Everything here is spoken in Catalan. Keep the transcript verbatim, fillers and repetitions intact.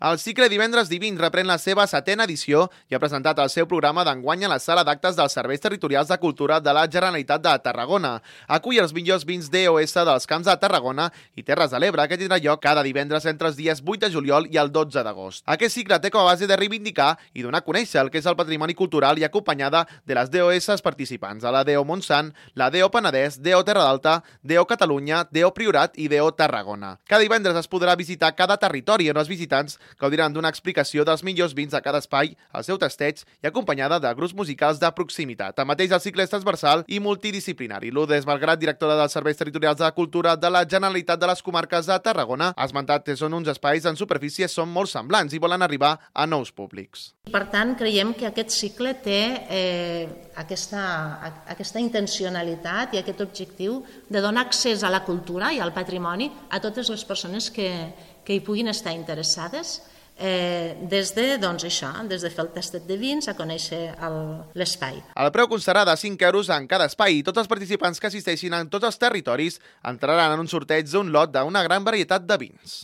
El cicle Divendres Divins reprèn la seva setena edició i ha presentat el seu programa d'enguany a la sala d'actes dels Serveis Territorials de Cultura de la Generalitat de Tarragona. Acull els millors vins D O S dels Camps de Tarragona i Terres de l'Ebre, que tindrà lloc cada divendres entre els dies vuit de juliol i el dotze d'agost. Aquest cicle té com a base de reivindicar i donar a conèixer el que és el patrimoni cultural i acompanyada de les D O S participants, a la D O Montsant, la D O Penedès, D O Terra d'Alta, D O Catalunya, D O Priorat i D O Tarragona. Cada divendres es podrà visitar cada territori on els visitants gaudiran d'una explicació dels millors vins de cada espai, el seu tasteig i acompanyada de grups musicals de proximitat. Tanmateix, el cicle és transversal i multidisciplinari. Lourdes Malgrat, directora dels Serveis Territorials de Cultura de la Generalitat de les Comarques de Tarragona, ha esmentat que són uns espais en superfície són molt semblants i volen arribar a nous públics. Per tant, creiem que aquest cicle té eh, aquesta, aquesta intencionalitat i aquest objectiu de donar accés a la cultura i al patrimoni a totes les persones que, que hi puguin estar interessades, eh, des de, doncs això, des de fer el tastet de vins a conèixer l'espai. El preu constarà de cinc euros en cada espai i tots els participants que assisteixin en tots els territoris entraran en un sorteig d'un lot d'una gran varietat de vins.